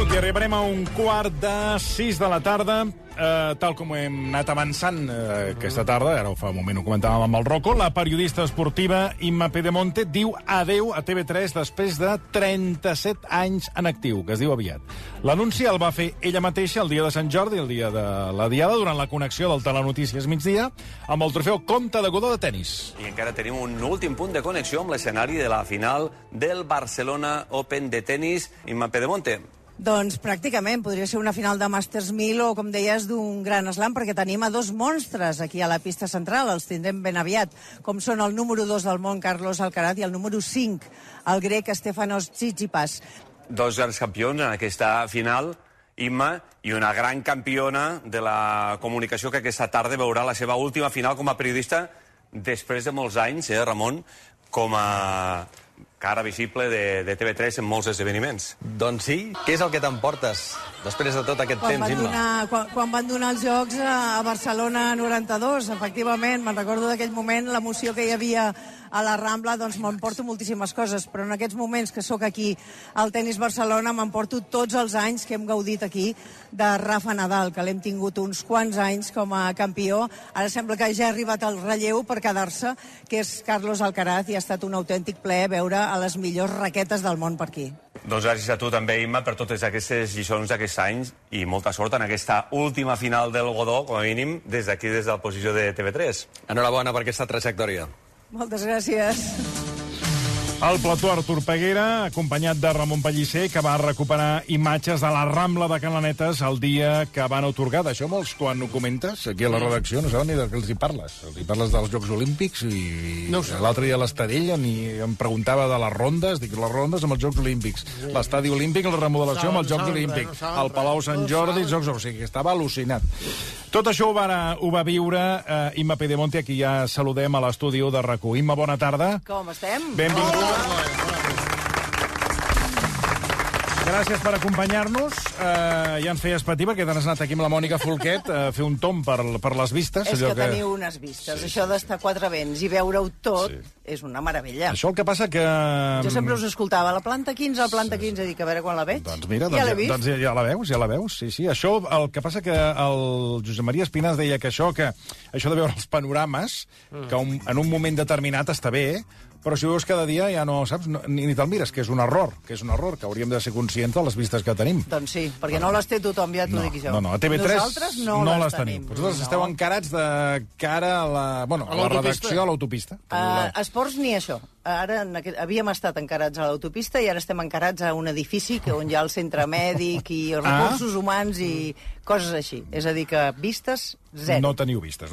minut i arribarem a un quart de 6 de la tarda. Tal com hem anat avançant aquesta tarda, ara fa un moment ho comentàvem amb el Rocco, la periodista esportiva Imma Pedemonte diu adeu a TV3 després de 37 anys en actiu, que es diu aviat. L'anunci el va fer ella mateixa el dia de Sant Jordi, el dia de la Diada, durant la connexió del Telenotícies migdia, amb el trofeu Comte de Godó de tennis. I encara tenim un últim punt de connexió amb l'escenari de la final del Barcelona Open de tennis. Imma Pedemonte. Doncs pràcticament podria ser una final de Masters 1000 o, com deies, d'un gran slam, perquè tenim a dos monstres aquí a la pista central, els tindrem ben aviat, com són el número 2 del món, Carlos Alcaraz, i el número 5, el grec Stefanos Tsitsipas. Dos grans campions en aquesta final, Imma, i una gran campiona de la comunicació que aquesta tarda veurà la seva última final com a periodista després de molts anys, Ramon, com a cara visible de TV3 en molts esdeveniments. Doncs sí. Què és el que t'emportes després de tot aquest temps, Imma? Quan van donar els Jocs a Barcelona 92, efectivament, me'n recordo d'aquell moment, l'emoció que hi havia a la Rambla, doncs m'emporto moltíssimes coses, però en aquests moments que sóc aquí al Tenis Barcelona m'emporto tots els anys que hem gaudit aquí de Rafa Nadal, que l'hem tingut uns quants anys com a campió. Ara sembla que ja ha arribat el relleu per quedar-se, que és Carlos Alcaraz, i ha estat un autèntic plaer veure a les millors raquetes del món per aquí. Doncs gràcies a tu també, Imma, per totes aquestes lliçons d'aquests anys i molta sort en aquesta última final del Godó, com a mínim, des d'aquí, des de la posició de TV3. Enhorabona per aquesta trajectòria. Moltes gràcies. El plató Artur Peguera, acompanyat de Ramon Pellicer, que va recuperar imatges de la Rambla de Can Lanetes el dia que van atorgar. D'això molts, quan ho comentes, aquí a la redacció, no saben ni de què els hi parles. Els hi parles dels Jocs Olímpics i no l'altre dia a l'Estadella em preguntava de les rondes, dic, les rondes amb els Jocs Olímpics. L'estadi olímpic, la remodelació amb els Jocs Olímpics. El Palau Sant Jordi, els Jocs Olímpics. O sigui, estava al·lucinat. Tot això ho va viure Imma Pedemonte, aquí ja saludem a l'estudi de RAC1. Imma, bona tarda. Com estem? Benvinguda. Gràcies per acompanyar-nos. Ja ens feies patir perquè t'has anat aquí amb la Mònica Folquet a fer un tomb per les vistes. És que teniu unes vistes. Sí. Això d'estar a quatre vents i veure-ho tot és una meravella. Això el que passa que... Jo sempre us escoltava, la planta 15, la planta 15, dic, a veure quan la veig. Doncs mira, ja l'he vist. Doncs ja la veus, sí. Això, el que passa que el Josep Maria Espinàs deia que això de veure els panorames, que en un moment determinat està bé, però si ho veus cada dia ja no saps, ni te'l mires, que és un error, que hauríem de ser conscients de les vistes que tenim. Doncs sí, perquè no les té tothom, ja t'ho dic jo. No, a TV3 nosaltres no les tenim. Vosaltres esteu encarats de cara a la redacció, a l'autopista. Esports ni això. Ara havíem estat encarats a l'autopista i ara estem encarats a un edifici on hi ha el centre mèdic i recursos humans i coses així. És a dir, que vistes, zero. No teniu vistes.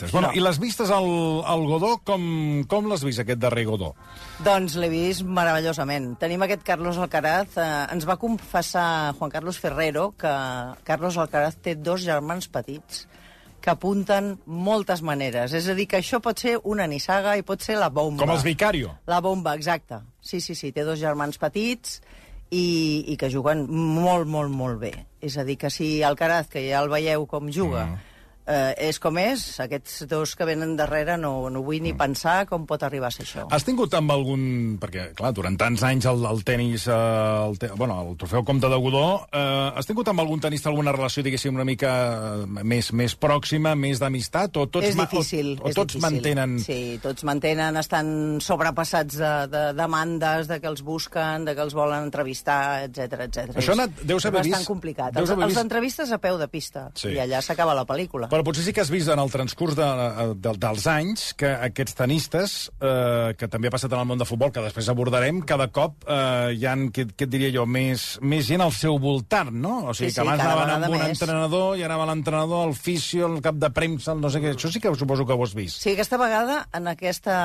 Bueno, i les vistes al Godó, com l'has vist, aquest darrer Godó? Doncs l'he vist meravellosament. Tenim aquest Carlos Alcaraz. Ens va confessar Juan Carlos Ferrero que Carlos Alcaraz té dos germans petits que apunten moltes maneres. És a dir, que això pot ser una nissaga i pot ser la bomba. Com els Vicario. La bomba, exacte. Sí, té dos germans petits i que juguen molt, molt, molt bé. És a dir, que si Alcaraz, que ja el veieu com juga, és com és, aquests dos que venen darrere no vull ni pensar com pot arribar a ser això. Has tingut amb algun... Perquè, clar, durant tants anys el tenis, el trofeu Comte de Godó, has tingut amb algun tenista alguna relació, diguéssim, una mica més pròxima, més d'amistat? És difícil. O tots mantenen... Sí, tots mantenen, estan sobrepassats de demandes, de que els busquen, de que els volen entrevistar, etc. Això deu ser bastant complicat. Els entrevistes a peu de pista, i allà s'acaba la pel·lícula. Però potser sí que has vist en el transcurs dels anys que aquests tenistes, que també ha passat en el món de futbol, que després abordarem, cada cop hi ha, què et diria jo, més gent al seu voltant, no? O sigui, que abans anaven amb un entrenador i anava l'entrenador, el fisio, el cap de premsa, no sé què. Això sí que suposo que ho has vist. Sí, aquesta vegada, en aquesta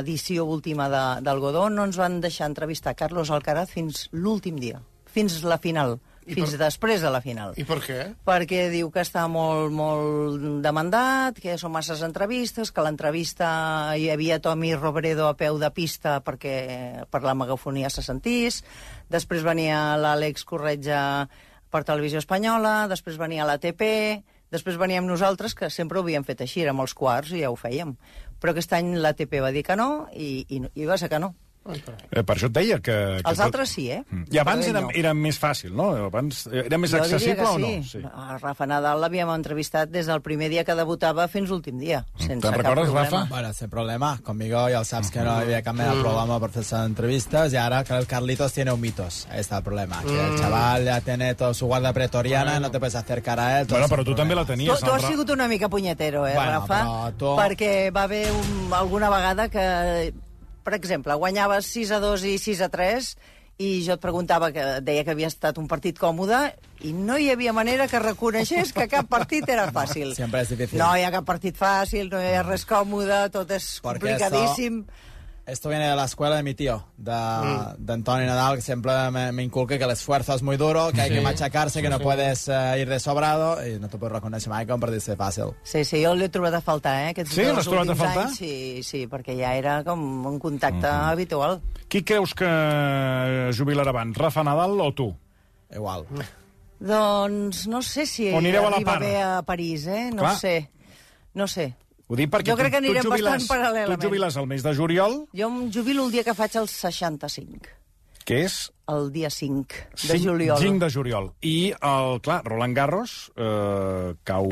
edició última del Godó, no ens van deixar entrevistar Carlos Alcaraz fins l'últim dia, fins la final. Fins després de la final. I per què? Perquè diu que està molt, molt demandat, que són masses entrevistes, que a l'entrevista hi havia Tommy Robredo a peu de pista perquè per la megafonia se sentís, després venia l'Àlex Corretja per Televisió Espanyola, després venia l'ATP, després veníem nosaltres, que sempre ho havíem fet així, érem els quarts i ja ho fèiem. Però aquest any l'ATP va dir que no i va ser que no. Per això et deia que... Els altres sí, I abans era més fàcil, no? Abans era més accessible o no? Sí. A Rafa Nadal l'havíem entrevistat des del primer dia que debutava fins l'últim dia, sense ¿Te recordes, Rafa? Bueno, sin problema. Conmigo ya sabes que no había cambiado el programa por hacer entrevistas y ahora el Carlitos tiene un mitos. Ahí está el problema. Que el chaval ya tiene toda su guarda pretoriana, no te puedes acercar a él. Bueno, però tu també la tenies. Tu has sigut una mica punyetero, Rafa? Perquè va haver alguna vegada que... Per exemple, guanyaves 6-2 i 6-3 i jo et preguntava, que deia que havia estat un partit còmode i no hi havia manera que reconeixés que cap partit era fàcil. Siempre es difícil. No hi ha cap partit fàcil, no hi ha res còmode, tot és complicadíssim. Esto viene de la escuela de mi tío, de Antonio Nadal, que siempre me inculca que el esfuerzo es muy duro, que hay que machacarse, que no puedes ir de sobrado, i no te puedes reconèixer mai com per dir-se fàcil. Sí, jo l'he trobat a faltar, Sí, l'has trobat a faltar? Sí, perquè ja era com un contacte habitual. Qui creus que jubilarà abans, Rafa Nadal o tu? Igual. Doncs no sé si arriba bé a París, No sé. Ho dic perquè jo crec que anirem bastant paral·lelament. Tu et jubiles el mes de juliol. Jo em jubilo el dia que faig els 65. Que és? El dia 5 de juliol. 5 de juliol. I, clar, Roland Garros cau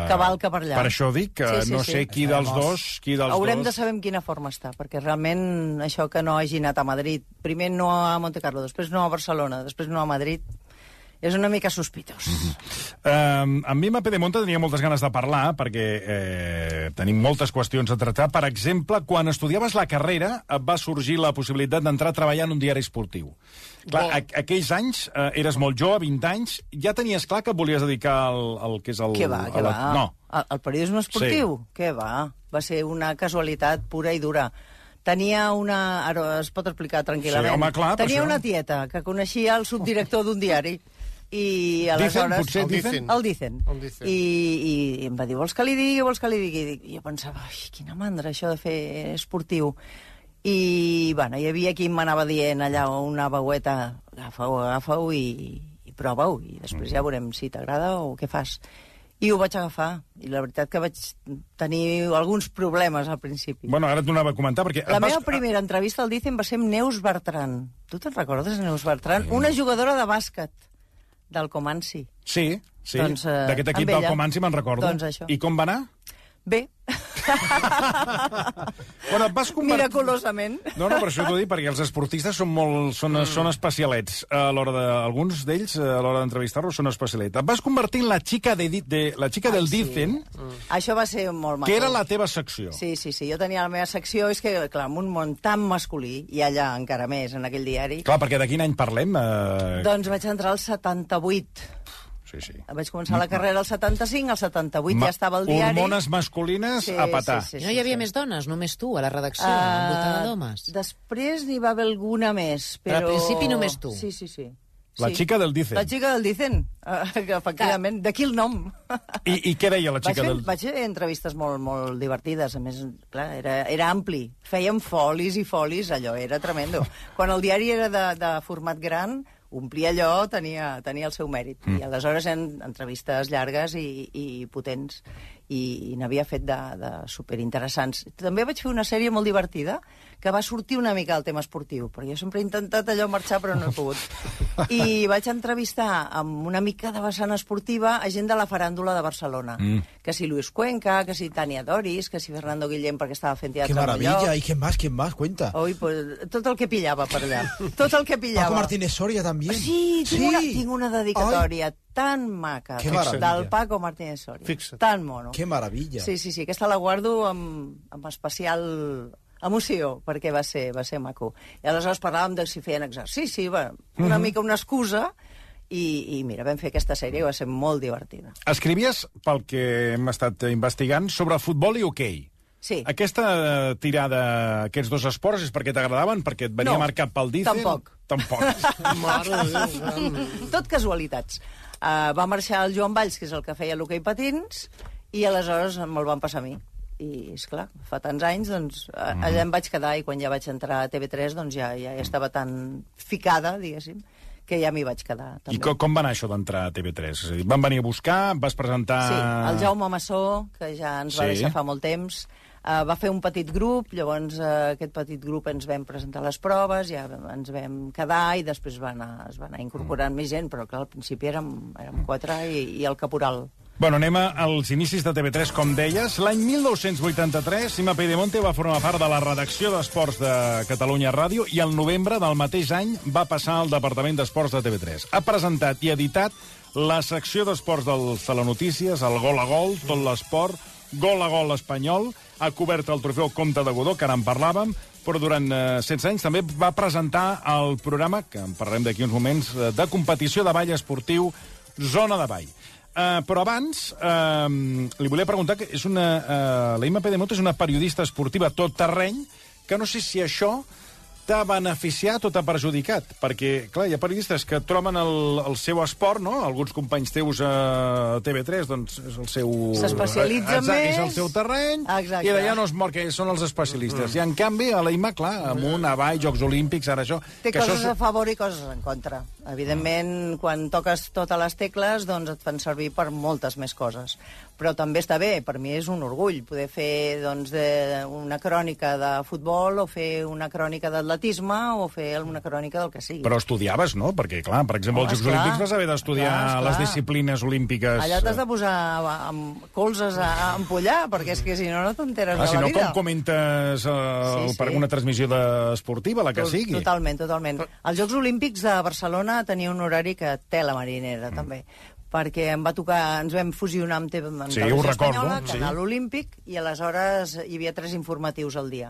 cavalca per allà. Per això dic que no sé qui dels dos... Haurem de saber en quina forma està, perquè realment això que no hagi anat a Madrid, primer no a Montecarlo, després no a Barcelona, després no a Madrid... És una mica sospitós. Amb mi, amb Pedemonte, tenia moltes ganes de parlar, perquè tenim moltes qüestions a tractar. Per exemple, quan estudiaves la carrera, et va sorgir la possibilitat d'entrar a treballar en un diari esportiu. Clar, aquells anys, eres molt jove, 20 anys, ja tenies clar que et volies dedicar al que és el... Què va? No. El periodisme esportiu? Sí. Què va? Va ser una casualitat pura i dura. Tenia una... Ara es pot explicar tranquil·lament. Sí, home, clar, tenia una tieta que coneixia el subdirector d'un diari. I aleshores... El Dicen. I em va dir, vols que li digui? I jo pensava, quina mandra, això de fer esportiu. I, bueno, hi havia qui m'anava dient allà una veueta, agafa-ho i prova-ho, i després ja veurem si t'agrada o què fas. I ho vaig agafar, i la veritat que vaig tenir alguns problemes al principi. Bueno, ara t'ho anava a comentar, perquè... La meva primera entrevista al Dicen va ser amb Neus Bertran. Tu te'n recordes, Neus Bertran? Una jugadora de bàsquet del Comanci. Sí, doncs, d'aquest equip del Comanci me'n recordo. Doncs això. I com va anar? Bé. Bueno, et vas miraculosament. No, per això t'ho dic, perquè els esportistes són especialets. Alguns d'ells, a l'hora d'entrevistar-los, són especialets. Et vas convertir en la xica del Dicen. Això va ser molt maco. Que era la teva secció. Sí. Jo tenia la meva secció, és que, clar, en un món tan masculí, i allà encara més, en aquell diari... Clar, perquè de quin any parlem? Doncs vaig entrar al 78. Sí. Vaig començar la carrera al 75, al 78 ja estava al diari. Hormones masculines a petar. Sí. No hi havia més dones, només tu, a la redacció, envoltada d'homes. Després n'hi va haver alguna més, però... Al principi només tu. Sí. La xica del Dicen. La xica del Dicen, efectivament. D'aquí el nom. I què deia la xica del... Vaig fer entrevistes molt divertides. A més, clar, era ampli. Fèiem folis i folis, allò era tremendo. Quan el diari era de format gran, omplir allò tenia el seu mèrit. I aleshores eren entrevistes llargues i potents. I n'havia fet de superinteressants. També vaig fer una sèrie molt divertida que va sortir una mica del tema esportiu, perquè jo sempre he intentat allò marxar però no he pogut. I vaig entrevistar amb una mica de vessant esportiva a gent de la faràndula de Barcelona. Que si Luis Cuenca, que si Tania Doris, que si Fernando Guillén perquè estava fent teatre. ¡Qué maravilla! ¿Y quién más? Cuenta. Ui, pues, tot el que pillava per allà. Tot el que pillava. Paco Martínez Soria també. Sí, tinc una dedicatòria tan maca del Paco Martínez Soria. Tan mono. ¡Qué maravilla! Sí, aquesta la guardo amb especial emoció, perquè va ser maco. I aleshores parlàvem de si feien exercici, una mica una excusa, i mira, vam fer aquesta sèrie i va ser molt divertida. Escrivies, pel que hem estat investigant, sobre futbol i hoquei. Sí. Aquesta tirada, aquests dos esports, és perquè t'agradaven? Perquè et venia marcat pel Dicen? Tampoc. Tot casualitats. Va marxar el Joan Valls, que és el que feia l'hoquei patins, i aleshores me'l van passar a mi. I, esclar, fa tants anys, doncs, allà em vaig quedar, i quan ja vaig entrar a TV3, doncs ja estava tan ficada, diguéssim, que ja m'hi vaig quedar. També. I com va anar això d'entrar a TV3? És a dir, van venir a buscar, vas presentar... Sí, el Jaume Massó, que ja ens va deixar fa molt temps, Va fer un petit grup, llavors aquest petit grup ens vam presentar les proves, ja ens vam quedar i després es va anar incorporant més gent, però clar, al principi érem 4 i el caporal. Bueno, anem als inicis de TV3, com deies. L'any 1983, Sima Peidemonte va formar part de la redacció d'Esports de Catalunya Ràdio i al novembre del mateix any va passar al Departament d'Esports de TV3. Ha presentat i editat la secció d'esports dels Telenotícies, el Gol a Gol, tot l'esport, Gol a Gol espanyol, ha cobert el trofeu Comte de Godó, que ara en parlàvem, però durant 16 anys també va presentar el programa, que en parlarem d'aquí uns moments, de competició de ball esportiu Zona de Ball. Però abans, li volia preguntar que la Imma Peidemonte és una periodista esportiva tot terreny, que no sé si això t'ha beneficiat o t'ha perjudicat, perquè, clar, hi ha periodistes que troben el seu esport, no? Alguns companys teus a TV3, doncs, és el seu... S'especialitzen més. És el seu terreny, exacte. I d'allà no es mor, que són els especialistes. I, en canvi, a la Imma, clar, amunt, avall, Jocs Olímpics, ara això... Té coses a favor i coses en contra. Evidentment, quan toques totes les tecles, doncs et fan servir per moltes més coses. Però també està bé, per mi és un orgull poder fer doncs, una crònica de futbol o fer una crònica d'atletisme o fer una crònica del que sigui. Però estudiaves, no? Perquè, clar, per exemple, als Jocs Olímpics vas haver d'estudiar les disciplines olímpiques. Allà t'has de posar amb colzes a empollar, perquè és que si no t'enteres de la vida. Si no, com comentes per una transmissió esportiva, la que sigui. Totalment. Els Jocs Olímpics de Barcelona tenia un horari que té la marinera, també, perquè em va tocar, ens vam fusionar amb Televisió Espanyola, Canal Olímpic, i aleshores hi havia 3 informatius al dia.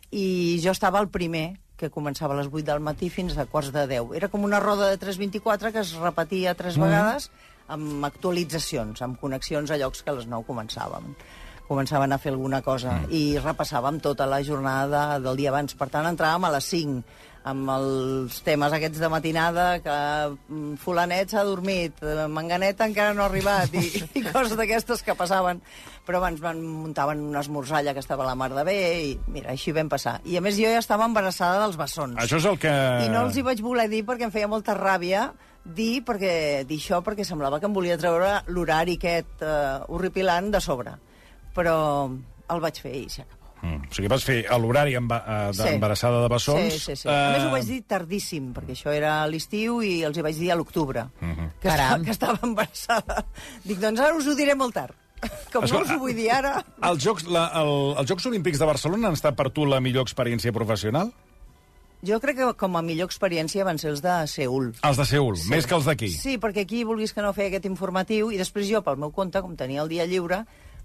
I jo estava el primer, que començava a les 8 del matí fins a quarts de 10. Era com una roda de 3:24 que es repetia 3 vegades amb actualitzacions, amb connexions a llocs que a les 9 començaven a fer alguna cosa i repassàvem tota la jornada del dia abans. Per tant, entràvem a les 5 amb els temes aquests de matinada, que fulanet s'ha dormit, manganeta encara no ha arribat, i coses d'aquestes que passaven. Però abans muntaven una esmorzalla que estava a la mar de bé, i mira, així vam passar. I a més jo ja estava embarassada dels bessons. Això és el que... I no els hi vaig voler dir perquè em feia molta ràbia dir això, perquè semblava que em volia treure l'horari aquest horripilant de sobre. Però el vaig fer i s'acabó. O sigui, vas fer l'horari d'embarassada de bessons. Sí. A més, ho vaig dir tardíssim, perquè això era a l'estiu i els hi vaig dir a l'octubre, que estava embarassada. Dic, doncs ara us ho diré molt tard. Com no us ho vull dir ara... Els Jocs Olímpics de Barcelona han estat per tu la millor experiència professional? Jo crec que com a millor experiència van ser els de Seül. Els de Seül, més que els d'aquí? Sí, perquè aquí vulguis que no feia aquest informatiu, i després jo, pel meu compte, com tenia el dia lliure,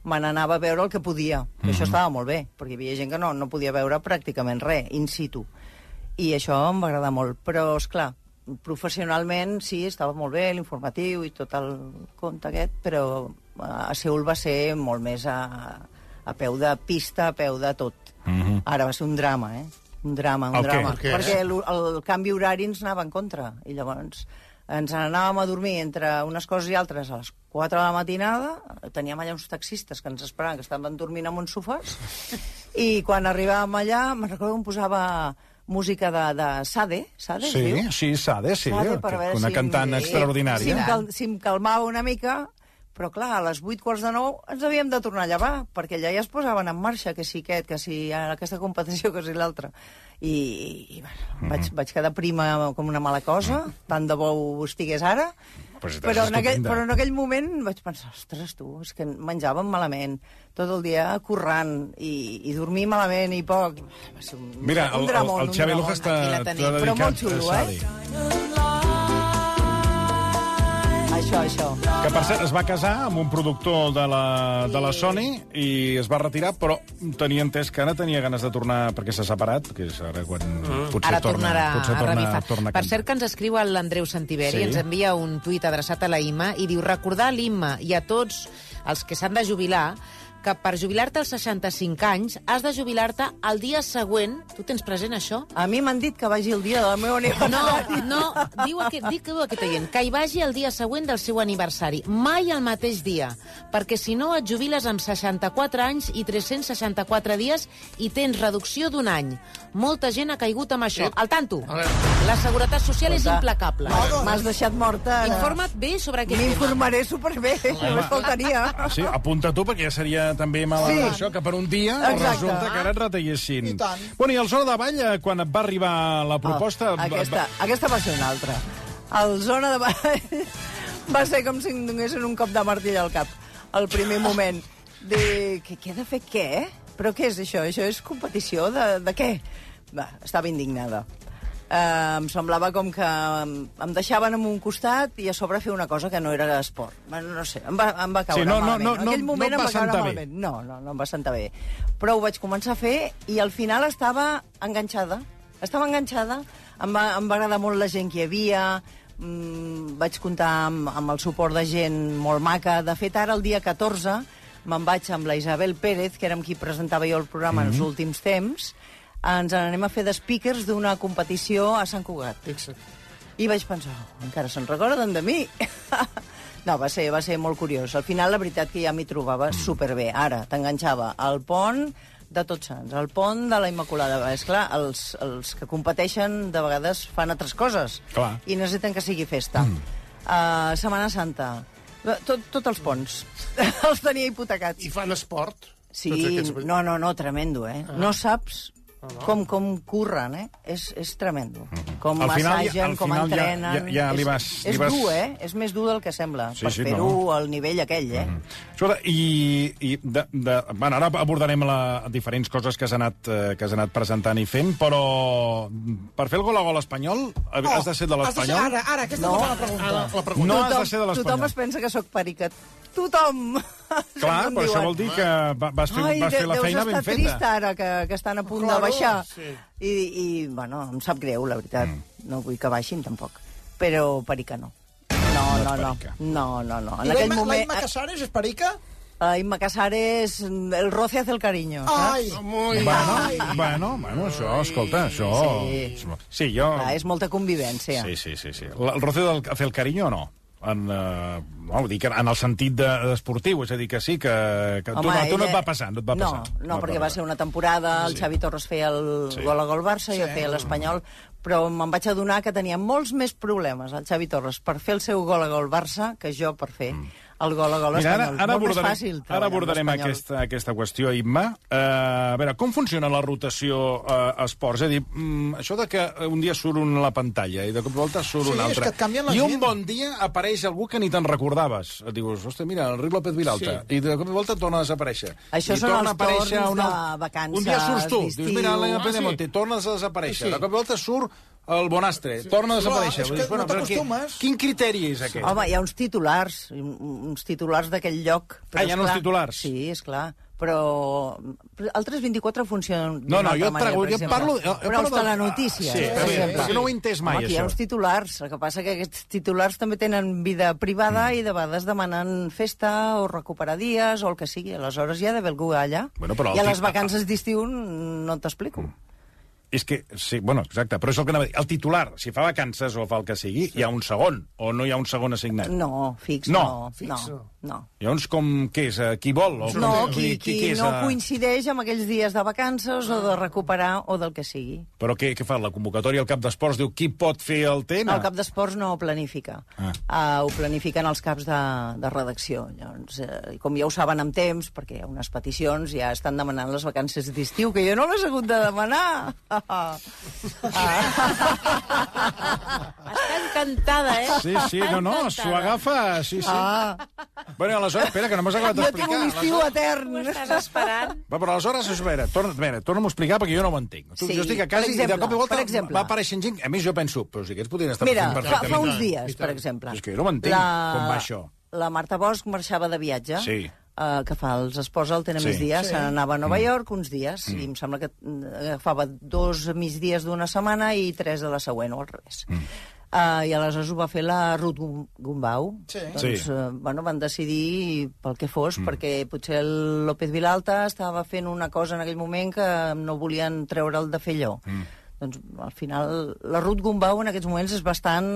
me n'anava a veure el que podia. Això estava molt bé, perquè hi havia gent que no podia veure pràcticament res, in situ. I això em va agradar molt. Però, esclar, professionalment sí, estava molt bé l'informatiu i tot el compte aquest, però a Seül va ser molt més a peu de pista, a peu de tot. Ara va ser un drama, Un drama. Perquè el canvi horari ens anava en contra. I llavors ens n'anàvem a dormir entre unes coses i altres a les 4 de la matinada, teníem allà uns taxistes que ens esperaven, que estaven dormint en uns sofàs, i quan arribàvem allà, me'n recordo que em posava música de Sade, Sade, sí, diu? Sí, Sade, una cantant extraordinària. Si em calmava una mica, però clar, a les 8:45 ens havíem de tornar a llevar, perquè allà ja es posaven en marxa, que si aquesta competició, que si l'altra. I bueno, vaig quedar prima com una mala cosa, tant de bo ho estigués ara, però en aquell moment vaig pensar, ostres, tu, és que menjàvem malament, tot el dia currant, i dormir malament i poc. Va ser un dramón. El Xavi Luja està dedicat però molt xulo, Això. Que, per cert, es va casar amb un productor de la Sony i es va retirar, però tenia entès que ara tenia ganes de tornar, perquè s'ha separat, que és ara quan potser tornarà a revifar. Per cert, que ens escriu l'Andreu Santiveri, ens envia un tuit adreçat a la Imma i diu, recordar a l'Imma i a tots els que s'han de jubilar que per jubilar-te als 65 anys has de jubilar-te el dia següent. Tu tens present això? A mi m'han dit que vagi el dia del meu aniversari. No, diu aquest oient, que hi vagi el dia següent del seu aniversari, mai el mateix dia, perquè si no et jubiles amb 64 anys i 364 dies i tens reducció d'un any. Molta gent ha caigut amb això. Al tanto, la Seguretat Social és implacable. M'has deixat morta. Informa't bé sobre aquest tema. M'informaré superbé, només faltaria. Sí, apunta tu, perquè ja seria també això, que per un dia resulta que ara et retallessin. I tant. Bueno, i al Zona de Ball, quan et va arribar la proposta... Aquesta va ser una altra. El Zona de Ball va ser com si em donessin un cop de martell al cap. Al primer moment. Què he de fer, què? Però què és això? Això és competició de què? Va, estava indignada. Em semblava com que em deixaven en un costat i a sobre fer una cosa que no era esport. No sé, em va caure malament. En aquell moment em va caure malament. No em va sentar bé. Però ho vaig començar a fer i al final estava enganxada. Em va agradar molt la gent que hi havia, vaig comptar amb el suport de gent molt maca. De fet, ara, el dia 14, me'n vaig amb la Isabel Pérez, que era amb qui presentava jo el programa en els últims temps. Ens anem a fer de speakers d'una competició a Sant Cugat. Fixa't. I vaig pensar, encara se'n recorden de mi? No, va ser molt curiós. Al final, la veritat que ja m'hi trobava superbé. Ara, t'enganxava al pont de Tots Sants, al pont de la Immaculada. És clar, els que competeixen de vegades fan altres coses. Clar. I necessiten que sigui festa. Setmana Santa, tots els ponts. Els tenia hipotecats. I fan esport? Sí, no, tremendo, eh? No saps com curren, eh? És tremendo. Com massagen, com entrenen. És dur, eh? És més dur del que sembla, per fer-ho al nivell aquell, eh? Escolta, bueno, ara abordarem diferents coses que has anat presentant i fent, però per fer el gol a gol espanyol has de ser de l'Espanyol? Ara, aquesta és la pregunta. No has de ser de l'Espanyol. Tothom es pensa que sóc perica. Tothom! Clar, però això vol dir que vas fer la feina ben feta. Deus estar trist ara, que estan a punt de baixar. I, bueno, em sap greu, la veritat. No vull que baixin, tampoc. Però perica no. No. I la Imma Casares és perica? Imma Casares, el roce hace el cariño. Ai! Bueno, això, escolta, això... Sí, jo... És molta convivència. Sí. El roce hace el cariño o no? En el sentit esportiu, és a dir, que sí, que tu no et va passar. No, perquè va ser una temporada, el Xavi Torres feia el gol a gol Barça, jo feia l'Espanyol, però me'n vaig adonar que tenia molts més problemes, el Xavi Torres, per fer el seu gol a gol Barça que jo per fer el gol a gol espanyol. Molt més fàcil. Ara abordarem aquesta qüestió, Imma. A veure, com funciona la rotació a esports? És a dir, això de que un dia surt un a la pantalla i de cop i volta surt un altre. I un bon dia apareix algú que ni te'n recordaves. Et dius, ostres, mira, el Enric López Vilalta. I de cop i volta torna a desaparèixer. Això són els torns de vacances. Un dia surts tu, dius, mira, l'Elena Pedemonte, tornes a desaparèixer. De cop i volta surt el Bonastre, torna a desaparèixer. És que no t'acostumes. Quin criteri és aquest? Home, hi ha uns titulars d'aquell lloc. Hi ha uns titulars? Sí, esclar. Però el 324 funciona d'una altra manera, jo parlo... Però els telenotícies, per exemple. Perquè no ho he entès mai, això. Aquí hi ha uns titulars. El que passa que aquests titulars també tenen vida privada i de vegades demanen festa o recuperar dies o el que sigui. Aleshores hi ha d'haver algú allà. I a les vacances d'estiu no t'explico. És que, sí, bueno, exacte, però és el que anava a dir. El titular, si fa vacances o fa el que sigui, hi ha un segon, o no hi ha un segon assignat? No, fix, no. Llavors, què és? Qui vol? Qui no coincideix amb aquells dies de vacances o de recuperar o del que sigui. Però què fa? La convocatòria al cap d'esports diu qui pot fer el TN? El cap d'esports no ho planifica. Ho planifiquen els caps de redacció. Llavors, com ja ho saben amb temps, perquè hi ha unes peticions, ja estan demanant les vacances d'estiu, que jo no les he hagut de demanar. Està encantada, eh? Sí, no, s'ho agafa, sí. Bueno, aleshores, espera, que no m'has acabat d'explicar. Jo tinc un estiu etern. Ho estàs esperant? Però aleshores, espera, torna'm a explicar perquè jo no ho entenc. Jo estic a casa i de cop i volta va apareixent gent... A més, jo penso, però si aquests podrien estar fent perfectament. Mira, fa uns dies, per exemple. És que jo no m'entenc com va això. La Marta Bosch marxava de viatge. Sí. Que fa els esports al tenen més dies, se n'anava a Nova York uns dies, i em sembla que agafava 2 migdies d'una setmana i 3 de la següent, o al revés. I aleshores ho va fer la Ruth Gumbau. Doncs, van decidir pel que fos, perquè potser el López Vilalta estava fent una cosa en aquell moment que no volien treure'l de fer allò. Doncs, al final, la Ruth Gumbau en aquests moments és bastant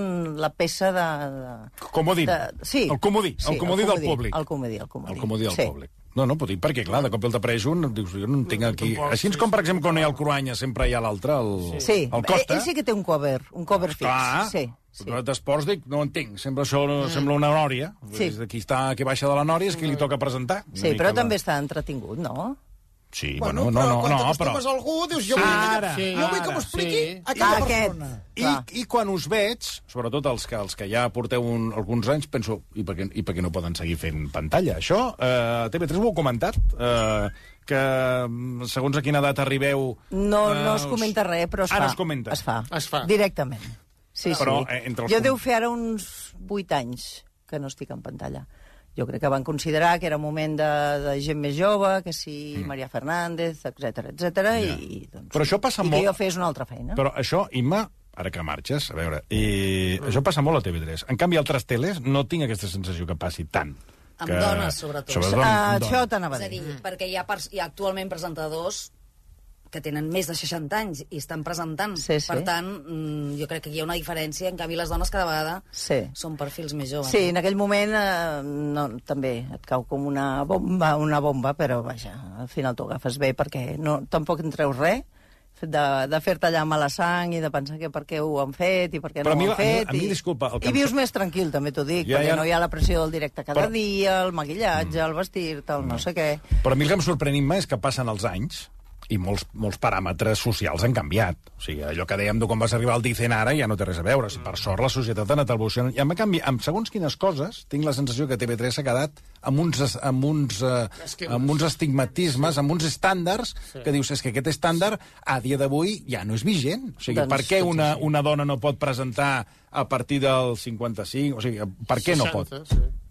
la peça de... Comodí. Sí. El comodí del públic. El comodí del públic. No, puc dir perquè, clar, de cop el t'apareix un, dius, jo no en tinc aquí... Així com, per exemple, quan hi ha el Cruanya, sempre hi ha l'altre, el Costa. Ell sí que té un cover fix. Clar, sí. d'esports dic, no entenc, sempre això sembla una nòria. Sí. Qui baixa de la nòria és qui li toca presentar. Sí, però també està entretingut, no? Sí, bueno, no, quan t'acostumes a algú, dius, jo vull que m'ho expliqui aquella persona. I quan us veig, sobretot els que ja porteu alguns anys, penso, i per què no poden seguir fent pantalla? Això, TV3 ho heu comentat? Que segons a quina edat arribeu... No es comenta res, però es fa. Ara es comenta. Es fa. Directament. Sí, però, sí. Jo deu fer ara uns 8 anys que no estic en pantalla. Jo crec que van considerar que era moment de gent més jove, que sí, Maria Fernández, etc. I doncs, però això passa molt... que jo fes una altra feina. Però això, Imma, ara que marxes, a veure, això passa molt a TV3. En canvi, altres teles no tinc aquesta sensació que passi tant. Amb dones, sobretot. Això t'anava a dir. És a dir, perquè hi ha actualment presentadors que tenen més de 60 anys i estan presentant. Sí. Per tant, jo crec que hi ha una diferència. En canvi, les dones cada vegada són perfils més joves. Sí, en aquell moment també et cau com una bomba, però vaja, al final t'ho agafes bé perquè tampoc en treus res de fer-te allà mala sang i de pensar que per què ho han fet i per què no ho han fet. A mi, disculpa... I vius més tranquil, també t'ho dic, perquè no hi ha la pressió del directe cada dia, el maquillatge, el vestir-te, el no sé què. Però a mi el que em sorprèn és que passen els anys i molts paràmetres socials han canviat. O sigui, allò que dèiem de quan vas arribar al Dicen ara ja no té res a veure. Per sort, la societat ha anat evolucionant. I en canvi, amb segons quines coses, tinc la sensació que TV3 s'ha quedat amb uns estigmatismes, amb uns estàndards, que dius, és que aquest estàndard, a dia d'avui, ja no és vigent. O sigui, per què una dona no pot presentar a partir del 55? O sigui, per què no pot?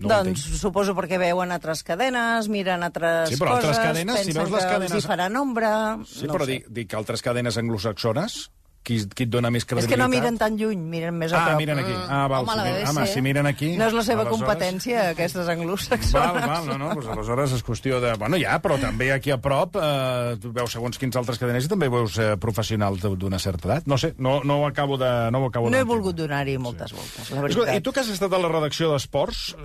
Doncs suposo perquè veuen altres cadenes, miren altres coses, pensen que els hi farà nombre... Sí, però dic altres cadenes anglosaxones, qui et dona més credibilitat? És que no miren tan lluny, miren més a prop. Miren aquí. Si miren aquí... No és la seva competència, aquestes anglosaxones. Val, doncs aleshores és qüestió de... Bueno, però també aquí a prop tu veus segons quins altres cadenes i també veus professionals d'una certa edat. No sé, no ho acabo de... No he volgut donar-hi moltes voltes, la veritat. I tu que has estat a la redacció d'Esports,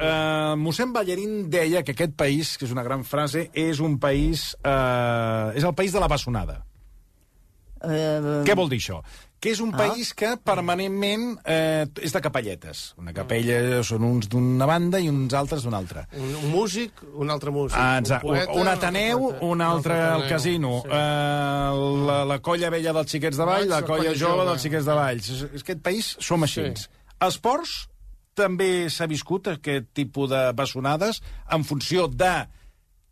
mossèn Ballerín deia que aquest país, que és una gran frase, és un país... és el país de la bessonada. Què vol dir això? Que és un país que permanentment és de capelletes. Una capella són uns d'una banda i uns altres d'una altra. Un músic, un altre músic. Un Ateneu, un altre al casino. La colla vella dels xiquets de Vall, la colla jove dels xiquets de Valls. Aquest país som així. Esports també s'ha viscut aquest tipus de bessonades en funció de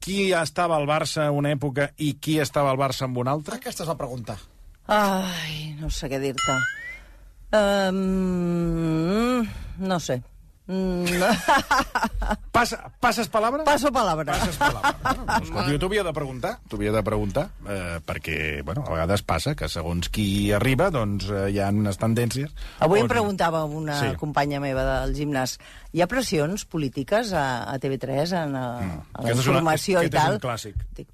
qui estava al Barça en una època i qui estava al Barça en una altra? Aquesta és la pregunta. Ai, no sé què dir-te. No sé. Passes palabra? Passo palabra. Passes palabra. Jo t'ho havia de preguntar, perquè, bueno, a vegades passa que segons qui arriba, doncs hi ha unes tendències... Avui em preguntava una companya meva del gimnàs, hi ha pressions polítiques a TV3 a la informació i tal? Aquest és un clàssic. Dic,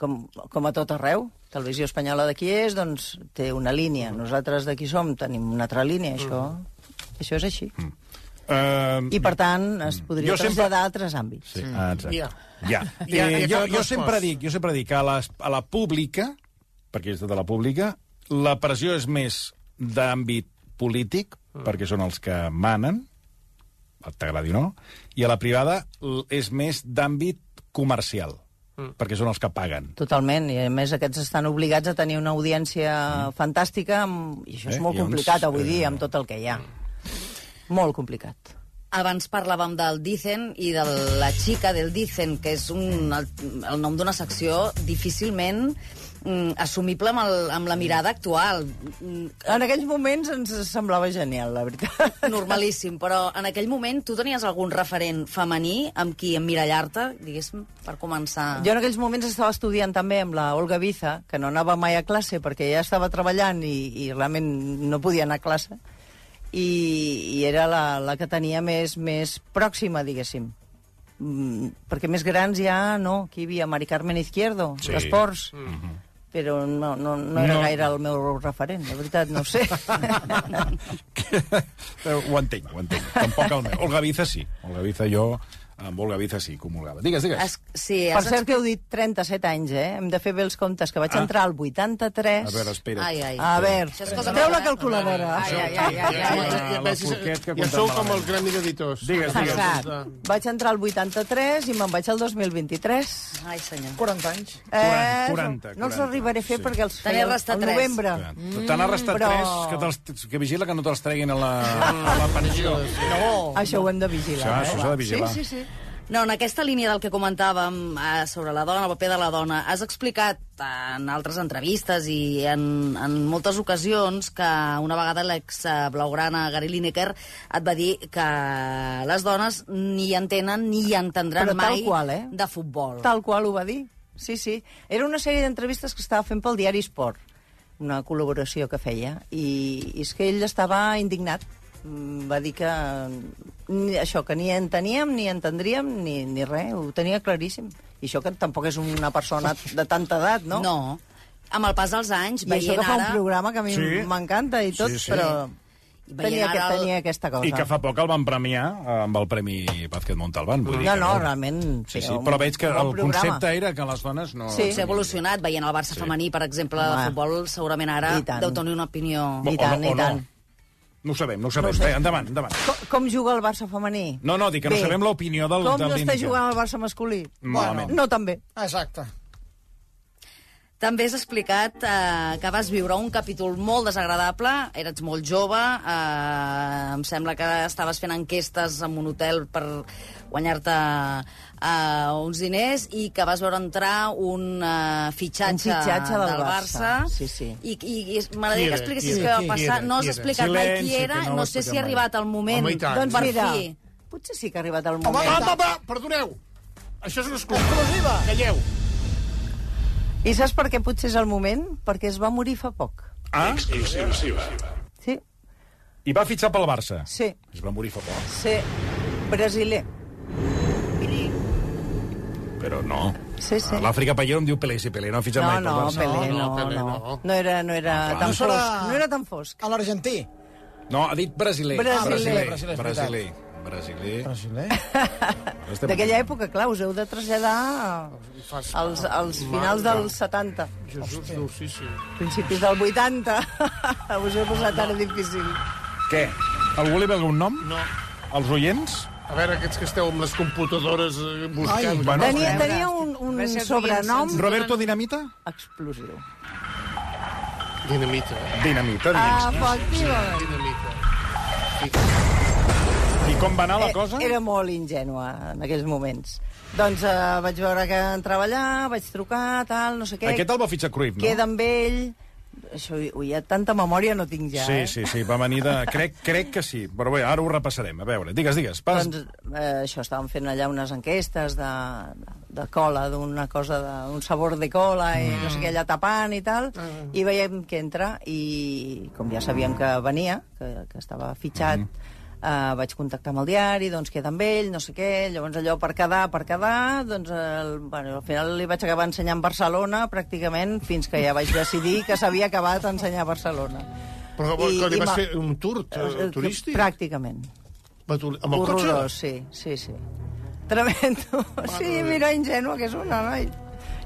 com a tot arreu. Televisió Espanyola d'aquí és, doncs, té una línia. Nosaltres d'aquí tenim una altra línia. Això és així. I, per tant, es podria traslladar a altres àmbits. Sí, jo sempre dic que a la pública, perquè és de la pública, la pressió és més d'àmbit polític, perquè són els que manen, t'agradi o no, i a la privada és més d'àmbit comercial, perquè són els que paguen. Totalment, i a més aquests estan obligats a tenir una audiència fantàstica, i això és molt complicat avui dia, amb tot el que hi ha. Molt complicat. Abans parlàvem del Dicen i de la xica del Dicen, que és el nom d'una secció difícilment assumible amb la mirada actual. En aquells moments ens semblava genial, la veritat. Normalíssim, però en aquell moment tu tenies algun referent femení amb qui emmirallar-te, diguéssim, per començar? Jo en aquells moments estava estudiant també amb la Olga Biza, que no anava mai a classe perquè ja estava treballant i realment no podia anar a classe, i era la que tenia més pròxima, diguéssim. Perquè més grans ja no. Aquí hi havia Mari Carmen Izquierdo, d'Esports. Però no era gaire el meu referent, la veritat, no ho sé. Ho entenc. Tampoc el meu. Olga Biza sí. Olga Biza jo Amb Olga Viza sí, comulgava. Digues. Sí, Per cert que heu dit 37 anys, Hem de fer bé els comptes, que vaig entrar al 83... A veure, espera't. A veure, treu la calculadora. La Forquet que Ja sou com el gremi d'editors. Digues. Vaig entrar al 83 i me'n vaig al 2023. Ai, senyor. 40 anys. 40. No els arribaré a fer perquè els Te n'he feia restat al tres. novembre. Te n'ha restat Però- 3, que vigila que no te'ls treguin a la pensió. Això ho hem de vigilar. Això s'ha de vigilar. Sí. No, en aquesta línia del que comentàvem sobre la dona, el paper de la dona, has explicat en altres entrevistes i en moltes ocasions que una vegada l'ex-blaugrana Gary Lineker et va dir que les dones ni entenen ni entendran Però tal mai qual, de futbol. Tal qual ho va dir. Sí. Era una sèrie d'entrevistes que estava fent pel diari Sport, una col·laboració que feia, i és que ell estava indignat. Va dir que que ni enteníem, ni entendríem, ni res, ho tenia claríssim. I això que tampoc és una persona de tanta edat, no? No. Amb el pas dels anys, I això que fa un programa que a mi Sí. m'encanta i tot, Sí. però tenia aquesta cosa. I que fa poc el van premiar amb el Premi Vázquez Montalbán. Vull dir que realment... Sí, però veig que el concepte era que les dones no... Sí. S'ha evolucionat, veient el Barça femení, per exemple, de futbol, segurament ara I tant. deu tenir una opinió... I tant, i tant. No ho sabem. Endavant. Com juga el Barça femení? No, dic que no sabem l'opinió del Com està Lineker. jugant el Barça masculí? Malament. No tan bé. Exacte. També has explicat que vas viure un capítol molt desagradable, eres molt jove, em sembla que estaves fent enquestes en un hotel per guanyar-te uns diners i que vas veure entrar un fitxatge del Barça. Sí. I m'agradaria que expliquessis què va passar. No has explicat mai qui era, no sé si ha arribat el moment. Home, i tant. Doncs Per mira, fi. potser sí que ha arribat el moment. Va, perdoneu. Això és una exclusiva. Calleu. I saps per què potser és el moment? Perquè es va morir fa poc. Exclusiva. Sí, I va fitxar pel Barça. sí, Es va morir fa poc. sí. Brasiler. Però no. Sí. L'Àfrica Pallero em diu Pelé, si Pelé no ha fitxat mai pel Barça. Pelé, Pelé no. No era tan Això era- fosc. No era tan fosc. A l'argentí. No, ha dit brasiler. Brasiler. Brasiler. Brasiler. D'aquella època, clar, us heu de traslladar als finals dels 70, Jesús, Déu, sí. principis del 80. Us heu posat ara difícil. Què? Algú li ve algun nom? No. Els oients? A veure, aquests que esteu amb les computadores buscant... Bueno, Tenia un sobrenom Roberto Dinamita? explosiu. Dinamita. Dinamita, dins. Efectivament. Dinamita. I com va anar la cosa? Era molt ingènua en aquells moments. Doncs vaig veure que entrava allà, vaig trucar, tal, no sé què. Aquest el va fitxar Cruyff, no? Queda amb ell... Això, ja tanta memòria no tinc ja, Sí, va venir de... Crec que sí, però bé, ara ho repassarem. A veure, digues. Doncs això, estàvem fent allà unes enquestes de cola, d'una cosa, d'un sabor de cola, i no sé què, allà tapant i tal, i veiem que entra, i com ja sabíem que venia, que estava fitxat, vaig contactar amb el diari, doncs queda amb ell, no sé què, llavors allò per quedar, doncs al final li vaig acabar ensenyant Barcelona, pràcticament, fins que ja vaig decidir que s'havia acabat ensenyar Barcelona. Però que li vas fer un tour turístic? Pràcticament. Amb el cotxe? Horrorós, sí. Tremendo. Sí, mira, ingènua que és una, noi.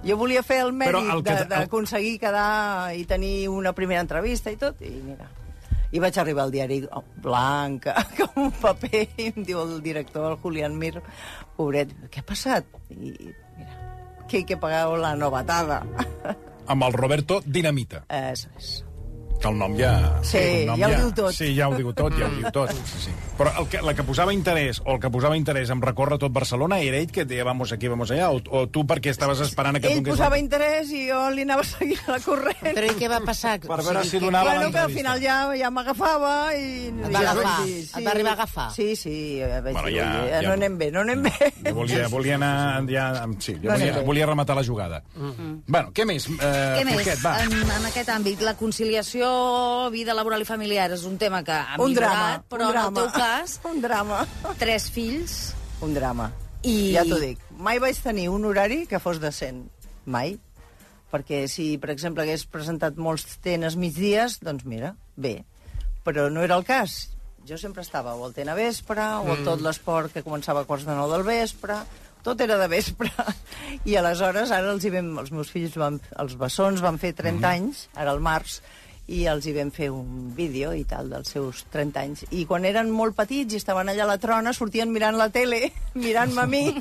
Jo volia fer el mèrit d'aconseguir quedar i tenir una primera entrevista i tot, i mira... I vaig arribar al diari blanc, com un paper, i em diu el director, el Julián Mir, pobret, què ha passat? I mira, que hay que pagar la novatada. Amb el Roberto Dinamita. Eso es. Que el nom ja... Sí, ja ho diu tot. Sí, ja ho diu tot. Sí. Però la que posava interès, o el que posava interès en recórrer tot Barcelona, era ell que deia vamos aquí, vamos allà, o tu perquè estaves esperant a que... Ell posava interès i jo li anava seguint la corrent. Però i què va passar? Per veure si donava Bueno, que al l'entrevista. final ja m'agafava i... Et va agafar? Et va arribar a agafar? Sí, vaig Bueno, dir, ja- no anem bé. Jo volia anar... Sí, volia rematar la jugada. Bueno, què més? Què més? Forquet, va. En aquest àmbit, la conciliació, vida laboral i familiar és un tema que ha Un millorat, drama, però un drama. en el teu cas, Un drama. 3 fills... Un drama. I- Ja t'ho dic. Mai vaig tenir un horari que fos decent. Mai. Perquè si, per exemple, hagués presentat molts tenes migdies, doncs mira, bé. Però no era el cas. jo sempre estava o al TN Vespre, o a tot l'esport que començava a 8:45 del vespre, tot era de vespre. I aleshores, ara els meus fills, els bessons, van fer 30 anys, ara al març, i els hi vam fer un vídeo i tal dels seus 30 anys. I quan eren molt petits i estaven allà a la trona, sortien mirant la tele, mirant-me a mi.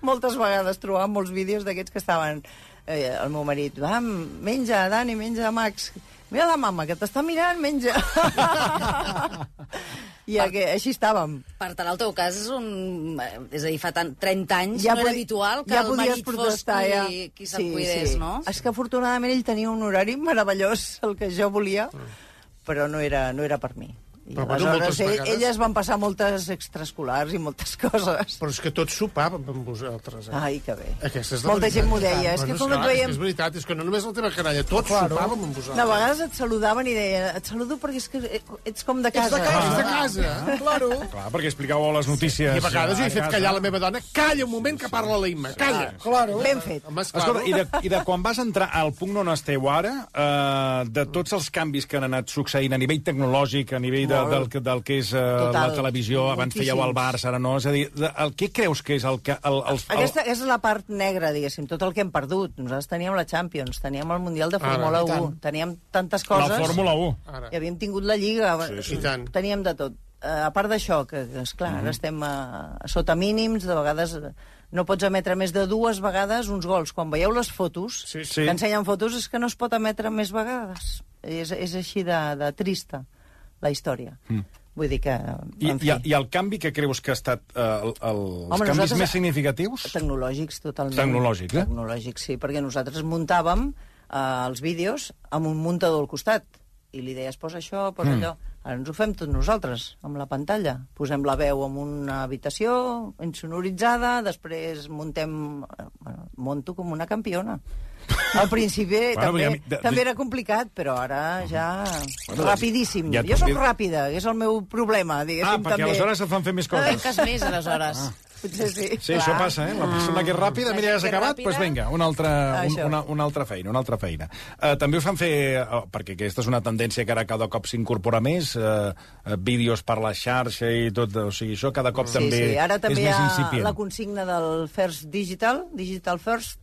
Moltes vegades trobàvem molts vídeos d'aquests que estaven... el meu marit, va, menja, Dani, menja, Max. Mira la mama, que t'està mirant, menja. I així estàvem. Per tant, el teu cas és és a dir, fa 30 anys no era habitual que el marit fos qui se'n cuidés, no? És que afortunadament ell tenia un horari meravellós, el que jo volia, però no era per mi. I aleshores elles van passar moltes extraescolars i moltes coses. Però és que tots sopàvem amb vosaltres. Ai, que bé. Molta gent m'ho deia. És que com et veiem... És veritat, és que no només la teva canalla, tots sopàvem amb vosaltres. A vegades et saludaven i deien, et saludo perquè és que ets com de casa. Ets de casa, claro. Clar, perquè explicàveu les notícies. I a vegades jo he fet callar la meva dona. Calla un moment que parla la Imma, calla. Ben fet. Escolta, i de quan vas entrar al punt on esteu ara, de tots els canvis que han anat succeint a nivell tecnològic, a nivell del que és la televisió, abans fèieu el Barça, ara no, és a dir, què creus que és el que... Aquesta és la part negra, diguéssim, tot el que hem perdut. Nosaltres teníem la Champions, teníem el Mundial de Fórmula 1, teníem tantes coses... La Fórmula 1. I havíem tingut la Lliga, teníem de tot. A part d'això, que esclar, ara estem sota mínims, de vegades no pots emetre més de 2 vegades uns gols. Quan veieu les fotos, que ensenyen fotos, és que no es pot emetre més vegades. És així de trista, la història. Vull dir que... I el canvi que creus que ha estat els canvis més significatius? Tecnològics, totalment. Tecnològics, Tecnològics, sí, perquè nosaltres muntàvem els vídeos amb un muntador al costat. I li deies, posa això, posa allò. Ara ens ho fem tots nosaltres, amb la pantalla. Posem la veu en una habitació, insonoritzada, després monto com una campiona. Al principi també era complicat, però ara ja... Rapidíssim. Jo soc ràpida, que és el meu problema, diguéssim, també. Perquè aleshores et fan fer més coses. Trenques més, aleshores. Potser sí. Sí, això passa, La persona que és ràpida, mira, ja s'ha acabat, doncs vinga, una altra feina. També us fan fer, perquè aquesta és una tendència que ara cada cop s'incorpora més, vídeos per la xarxa i tot, o sigui, això cada cop també és més incipient. Ara també hi ha la consigna del First Digital First,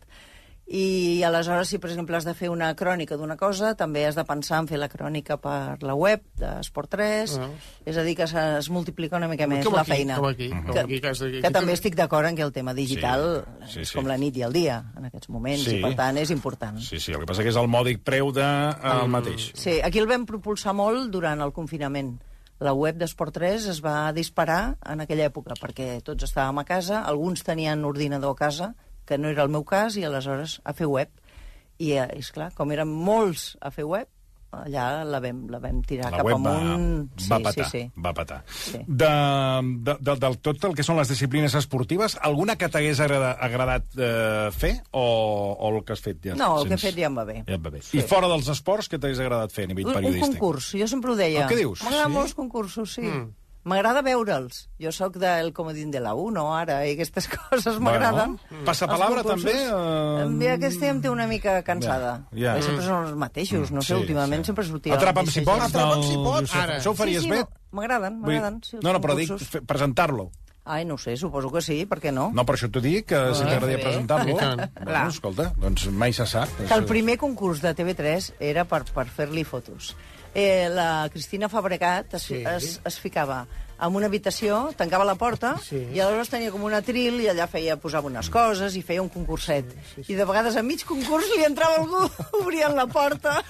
i aleshores, si per exemple has de fer una crònica d'una cosa, també has de pensar en fer la crònica per la web d'Esport 3, és a dir, que es multiplica una mica més la feina. Que també estic d'acord en que el tema digital és com la nit i el dia, en aquests moments, i per tant és important. Sí, el que passa que és el mòdic preu del mateix. Sí, aquí el vam propulsar molt durant el confinament. La web d'Esport 3 es va disparar en aquella època, perquè tots estàvem a casa, alguns tenien ordinador a casa, que no era el meu cas, i aleshores a fer web. I, esclar, com érem molts a fer web, allà la vam tirar cap amunt. Va patar. Del tot el que són les disciplines esportives, alguna que t'hagués agradat fer, o el que has fet ja? No, el que he fet ja em va bé. I fora dels esports, què t'hagués agradat fer a nivell periodístic? Un concurs, jo sempre ho deia. Què dius? M'agraden molts concursos, sí. M'agrada veure'ls. Jo sóc del comodín de la 1, ara, i aquestes coses m'agraden. Passapalabra, també? Aquesta em té una mica cansada. Sempre són els mateixos, no sé, últimament sempre sortia... Atrapa'm si pots, això ho faries bé? M'agraden. No, però dic presentar-lo. Ai, no sé, suposo que sí, per què no? No, per això t'ho dic, que sí que m'agradaria presentar-lo. Bueno, escolta, doncs mai se sap. Que el primer concurs de TV3 era per fer-li fotos. La Cristina Fabregat es ficava en una habitació, tancava la porta, i aleshores tenia com un atril, i allà posava unes coses, i feia un concurset. I de vegades a mig concurs li entrava algú, obrien la porta,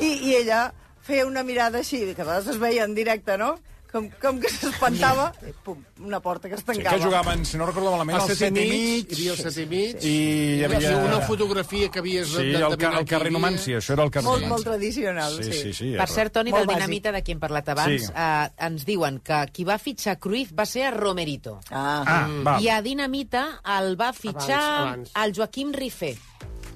i ella feia una mirada així, que a vegades es veia en directe, no?, com que s'espantava, pum, una porta que es tancava. Que jugaven, si no recordo malament, al 7 i mig, hi havia el 7 i mig, i hi havia una fotografia que havies d'endevinar el carrer Numància, això era el carrer Numància. Molt tradicional, sí. Per cert, Toni, del Dinamita, de qui hem parlat abans, ens diuen que qui va fitxar Cruyff va ser a Romerito. I a Dinamita el va fitxar el Joaquim Rifé.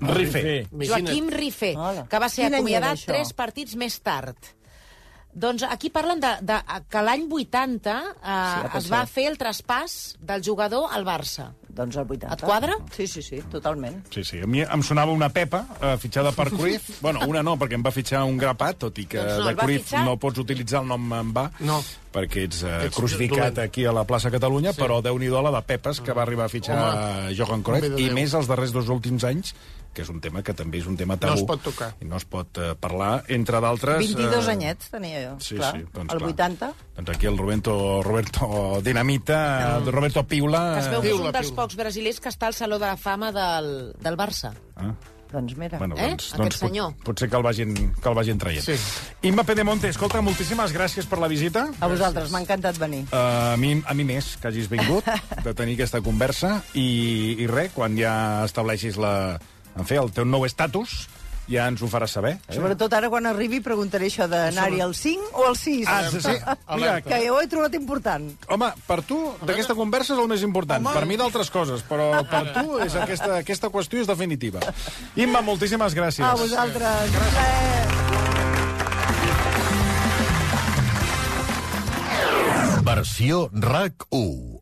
Joaquim Rifé, que va ser acomiadat 3 partits més tard. Doncs aquí parlen que l'any 80 es va fer el traspàs del jugador al Barça. Doncs el 80. Et quadra? Sí, totalment. Sí. A mi em sonava una Pepa, fitxada per Cruyff. Bueno, una no, perquè em va fitxar un grapat, tot i que de Cruyff no pots utilitzar el nom en va, perquè ets crucificat aquí a la plaça Catalunya, però Déu-n'hi-do la de Pepes, que va arribar a fitxar Johan Cruyff, i més els darrers 2 últims anys, que és un tema que també és un tema tabú. No es pot tocar. I no es pot parlar, entre d'altres... 22 anyets tenia jo, clar. Doncs el 80. Doncs aquí el Roberto Dinamita, Roberto Piula... Que es veu que és un dels pocs brasilers que està al Saló de la Fama del Barça. Doncs mira. Bueno, Aquest senyor. Potser que el vagin traient. Sí. Imma Pedemonte, escolta, moltíssimes gràcies per la visita. A vosaltres, m'ha encantat venir. A mi més, que hagis vingut, de tenir aquesta conversa. I res, quan ja estableixis el teu nou estatus, ja ens ho faràs saber. Sobretot ara, quan arribi, preguntaré això d'anar-hi al 5 o al 6. Sí. Mira, que jo ho he trobat important. Home, per tu, d'aquesta conversa és el més important. Per mi d'altres coses, però per tu és aquesta qüestió és definitiva. Imma, moltíssimes gràcies. A vosaltres. Versió RAC 1.